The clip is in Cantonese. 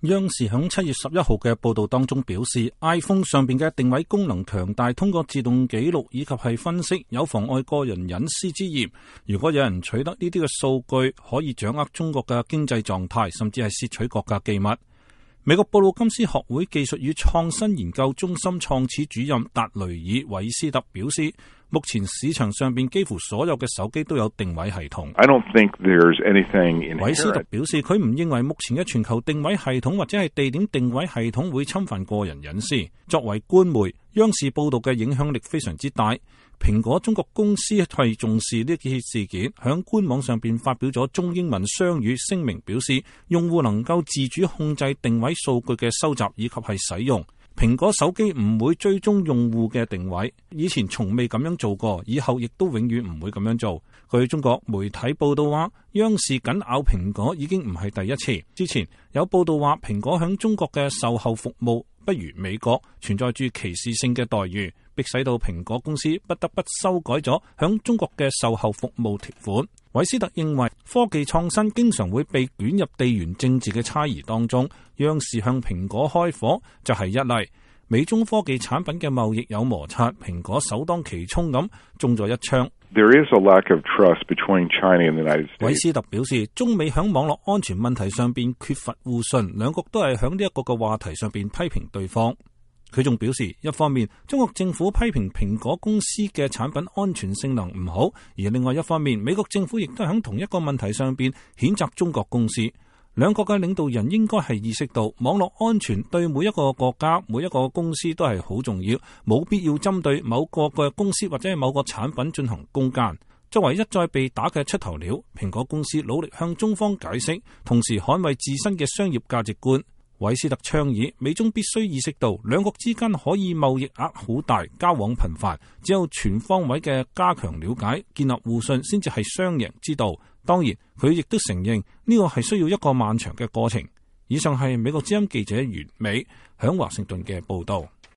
央視響7月11號嘅報道當中表示 ，iPhone 上邊嘅定位功能強大，通過自動記錄以及係分析有妨礙個人隱私之嫌。如果有人取得呢啲嘅數據，可以掌握中國嘅經濟狀態，甚至係竊取國家機密。美國布魯金斯學會技術與創新研究中心創始主任達雷爾·韋斯特表示，目前市場上邊幾乎所有嘅手機都有定位系統。韋斯特表示，佢唔認為目前嘅全球定位系統或者係地點定位系統會侵犯個人隱私。作為官媒，央視報道嘅影響力非常之大。蘋果中國公司係重視呢件事件，響官網上邊發表咗中英文雙語聲明，表示用戶能夠自主控制定位數據嘅收集以及係使用。蘋果手機唔會追蹤用戶嘅定位，以前從未咁樣做過，以後亦都永遠唔會咁樣做。據中國媒體報道話，央視緊咬蘋果已經唔係第一次。之前有報道話，蘋果響中國嘅售後服務不如美國，存在住歧視性嘅待遇，迫使到蘋果公司不得不修改咗響中國嘅售後服務條款。韋斯特認為，科技創新經常會被捲入地緣政治嘅猜疑當中，央視向蘋果開火就係一例。美中科技產品嘅貿易有摩擦，蘋果首當其衝咁中咗一槍。韋斯特表示，中美響網絡安全問題上邊缺乏互信，兩國都係響呢一個嘅話題上邊批評對方。佢仲表示，一方面中國政府批評蘋果公司嘅產品安全性能唔好，而另外一方面美國政府亦都喺同一個問題上邊譴責中國公司。兩國嘅領導人應該係意識到網絡安全對每一個國家、每一個公司都係好重要，冇必要針對某個嘅公司或者係某個產品進行攻讦。作為一再被打嘅出頭鳥，蘋果公司努力向中方解釋，同時捍衛自身嘅商業價值觀。韋斯特倡議，美中必須意識到兩國之間可以貿易額好大，交往頻繁，只有全方位嘅加強了解、建立互信，先至係雙贏之道。當然，佢亦都承認呢個係需要一個漫長嘅過程。以上係美國之音記者袁美響華盛頓嘅報道。